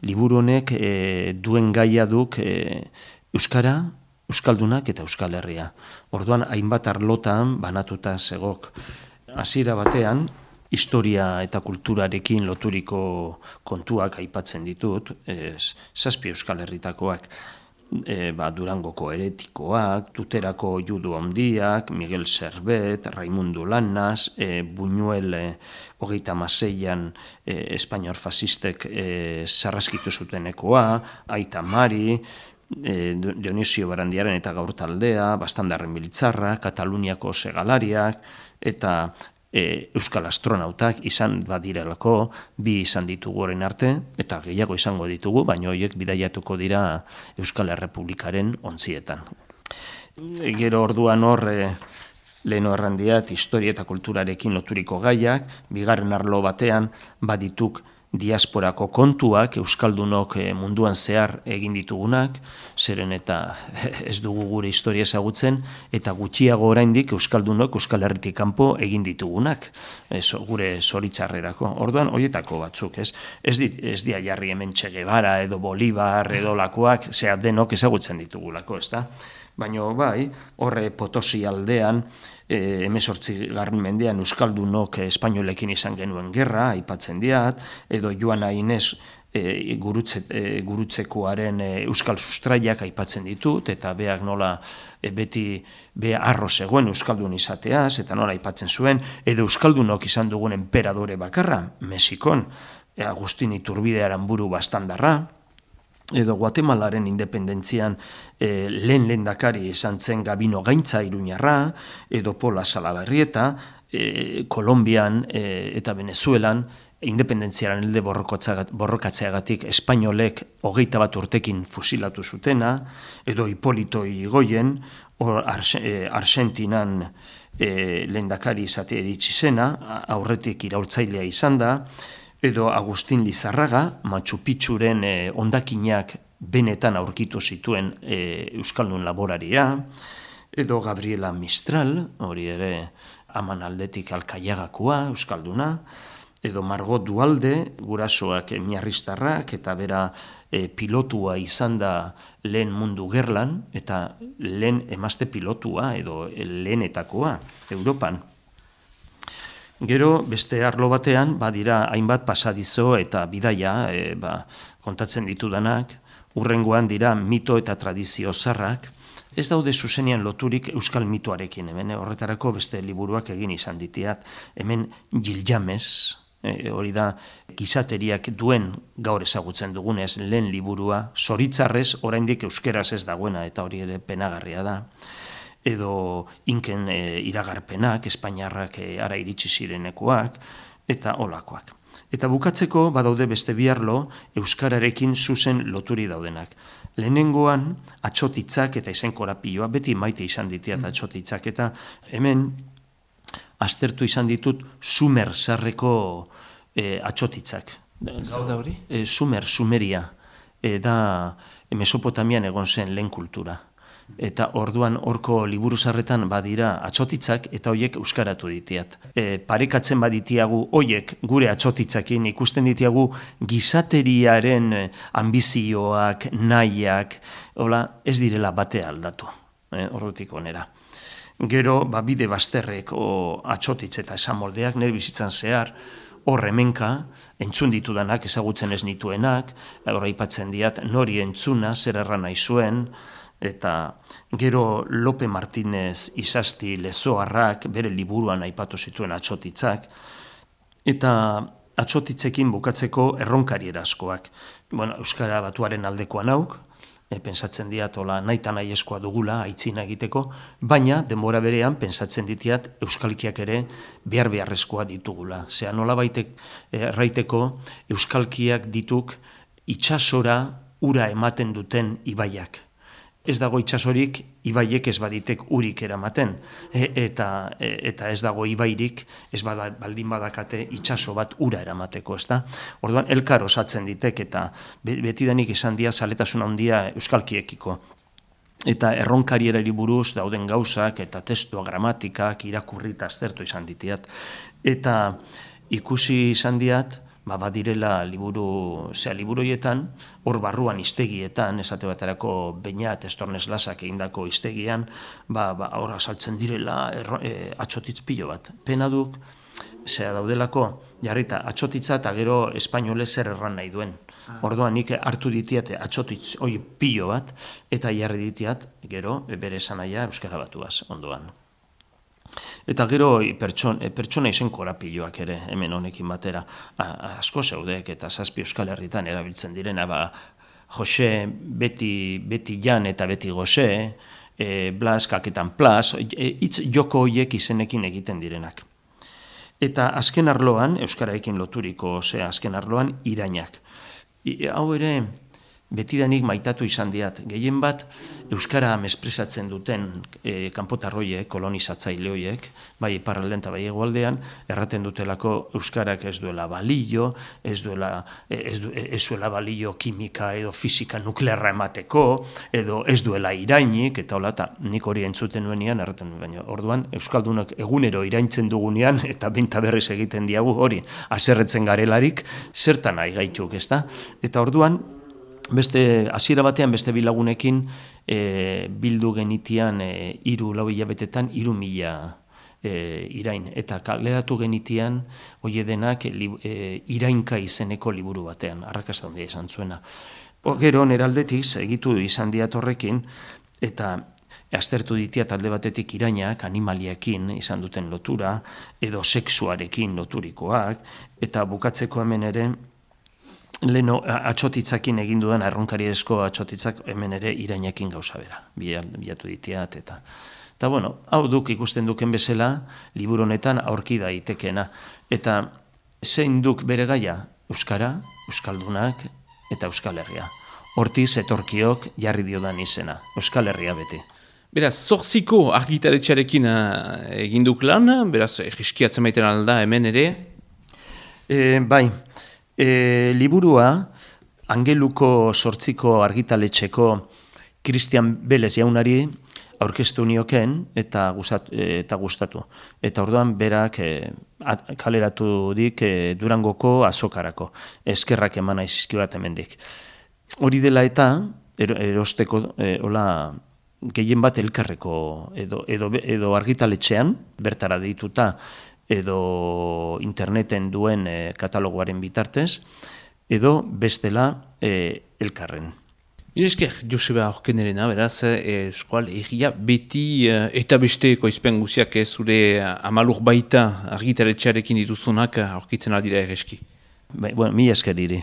liburu honek duen gaia duk euskara, euskaldunak eta Euskal Herria. Orduan, hainbat arlotan banatuta zegok. Hasiera batean, historia eta kulturarekin loturiko kontuak aipatzen ditut, 7 Euskal Herritakoak. Durangoko heretikoak, Tuterako judu handiak, Miguel Servet, Raimundo Lanas, Buñuel 36an espainol fasistek sarraskitu zutenekoa, Aita Mari, Dionisio Barandiaren eta Gaur taldea, Bastandarren Bilitzarra, Kataluniako segalariak, eta euskal astronautak izan badirelako, 2 izan ditugu orain arte, eta gehiago izango ditugu, baina horiek bidaiatuko dira Euskal Errepublikaren ontzietan. Gero orduan hor, leheno errandiat, historia eta kulturarekin loturiko gaiak, bigarren arlo batean badituk diasporako kontuak, euskaldunok munduan zehar egin ditugunak, zeren eta ez dugu gure historia ezagutzen, eta gutxiago oraindik euskaldunok Euskal Herritik kanpo egin ditugunak, gure zoritzarrerako. Orduan, horietako batzuk, ez dia jarri hemen Che Guevara edo Bolivar edo lakoak, zea denok ezagutzen ditugulako, ez da? Baina bai, horre Potosi aldean, 18. mendean euskaldunok espainolekin izan genuen gerra, aipatzen diat, edo Joana Inez gurutzekoaren euskal sustraiak aipatzen ditut, eta beak nola beti harro zegoen euskaldun izateaz, eta nola aipatzen zuen, edo euskaldunok izan dugun enperadore bakarra, Mexikon, Agustin Iturbide Aranburu Bastandarra, edo Guatemalaren independentzian lehen lehendakari izan zen Gabino Gaintza Iruñarra, edo Pola Salaberrieta, Kolombian eta Venezuelan independentziaren elde borrokatzeagatik espainolek 21 urtekin fusilatu zutena, edo Hipolito Yrigoyen, Argentinan lehendakari izate iritsi zena, aurretik iraultzailea izan da, edo Agustin Lizarraga, Machu Picchuren hondakinak benetan aurkitu zituen euskaldun laboraria, edo Gabriela Mistral, hori ere aman aldetik Alkaiagakoa, euskalduna, edo Margot Duhalde, gurasoak miarristarrak, eta bera pilotua izan da lehen mundu gerlan, eta lehen emazte pilotua, edo lehenetakoa, Europan. Gero, beste arlo batean, badira hainbat pasadizo eta bidaia kontatzen ditudanak, hurrengoan dira mito eta tradizio zarrak, ez daude zuzenean loturik euskal mitoarekin, hemen horretarako beste liburuak egin izan ditiat, hemen Gilgamez, hori da gizateriak duen gaur ezagutzen dugunez lehen liburua, zoritzarrez oraindik euskeraz ez dagoena, eta hori ere penagarria da, edo inken iragarpenak, espainiarrak ara iritsi zirenekoak, eta olakoak. Eta bukatzeko badaude beste bi arlo euskararekin zuzen loturi daudenak. Lehenengoan atsotitzak eta izen korapioa, beti maite izan ditiat atsotitzak, eta hemen aztertu izan ditut Sumer zarreko atsotitzak. Gau da hori? Sumeria, da Mesopotamian egon zen lehen kultura. Eta orduan horko liburu zarretan badira atsotitzak eta hoiek euskaratu ditiat. Parekatzen baditiagu hoiek gure atsotitzakin ikusten ditiagu gizateriaren ambizioak, nahiak, ez direla bate aldatu, ordutik onera. Gero, bide bazterreko atsotitz eta esamoldeak nire bizitzan zehar, hor hemenka, entzun ditudanak, ezagutzen ez nituenak, hor aipatzen diat, nori entzuna, zer erran nahi zuen, eta gero Lope Martínez Izasti Lezoarrak bere liburuan aipatu zituen atsotitzak, eta atsotitzekin bukatzeko erronkari eraskoak. Euskara batuaren aldekoa nauk, pensatzen diat nahita nahi eskoa dugula aitzina egiteko, baina denbora berean pensatzen ditiat euskalkiak ere beharrezkoa ditugula. Zea nola baitek erraiteko euskalkiak dituk itsasora ura ematen duten ibaiak. Ez dago itsasorik, ibaiek ez baditek urik eramaten, eta ez dago ibairik, ez baldin badakate itsaso bat ura eramateko, ez da? Orduan, elkar osatzen ditek, eta betidanik izan dia zaletasun handia euskalkiekiko. Eta erronkarierari buruz dauden gauzak, eta testua, gramatikak, irakurri eta aztertu izan ditiat. Eta ikusi izan diat, badirela liburu hoietan, hor barruan hiztegietan, esate baterako Beñat Estornes Lasak egindako hiztegian, hor azaltzen direla atxotitz pilo bat. Pena duk, daudelako, jarrita, atxotitza eta gero espainolez zer erran nahi duen. Orduan nik hartu ditiat atxotitz hoi pilo bat, eta jarri ditiat, gero, bere esanaia euskara batuaz, ondoan. Eta gero pertsona izen korapiloak ere, hemen honekin batera, asko zeudek eta 7 Euskal Herritan erabiltzen direna, Jose, beti Jan eta beti Gose, Blas, kaketan Plas, hitz joko hoiek izenekin egiten direnak. Eta azken arloan, euskararekin loturiko azken arloan, irainak. Hau ere, betidanik maitatu izan diat. Gehien bat, euskara mespresatzen duten kanpotarroiek, kolonizatzaile horiek, bai iparraldean eta bai hegoaldean, erraten dutelako euskarak ez duela balio, ez duela balio kimika edo fisika nuklearra emateko, edo ez duela irainik, eta hola, eta nik hori entzuten nuenean, erraten baina orduan, euskaldunak egunero iraintzen dugunean, eta benta berriz egiten diagu hori, haserretzen garelarik, zertan nahi gaituk, ezta? Eta orduan, hasiera batean beste bilagunekin bildu genitian 3-4 hilabetetan 3.000 irain. Eta kaleratu genitian hoi denak irainka izeneko liburu batean, arrakasta handia izan zuena. Gero neraldetik segitu izan diat horrekin, eta aztertu ditia talde batetik irainak animaliakin izan duten lotura, edo sexuarekin loturikoak, eta bukatzeko hemen ere, leheno atxotitzakin egin dudan, erronkariezko atxotitzak hemen ere irainakin gauza bera, bilatu ditiat, eta bueno, hau duk ikusten duken bezala, liburu honetan aurki daitekena, eta zein duk bere gaia, euskara, euskaldunak eta Euskal Herria. Hortiz etorkiok jarri diodan izena, Euskal Herria beti. Beraz, 8 argitaletxearekin egin duk lan, beraz, egiskiatzen maiten alda hemen ere? Bai, liburua Angeluko 8 argitaletxeko Christian Belez jaunari aurkeztu nioken eta gustatu. Eta orduan berak kaleratu dik Durangoko azokarako. Eskerrak eman aizizkioat hemendik. Hori dela eta erosteko gehien bat elkarreko edo argitaletxean bertara dituta edo interneten duen katalogoaren bitartez, edo bestela elkarren. Esker, Joseba Horkenerena, beraz, eskual egia beti eta beste koizpen guziak zure amalur baita argitaletxearekin dituzunak aurkitzen aldira egeski. Bueno, mi esker iri.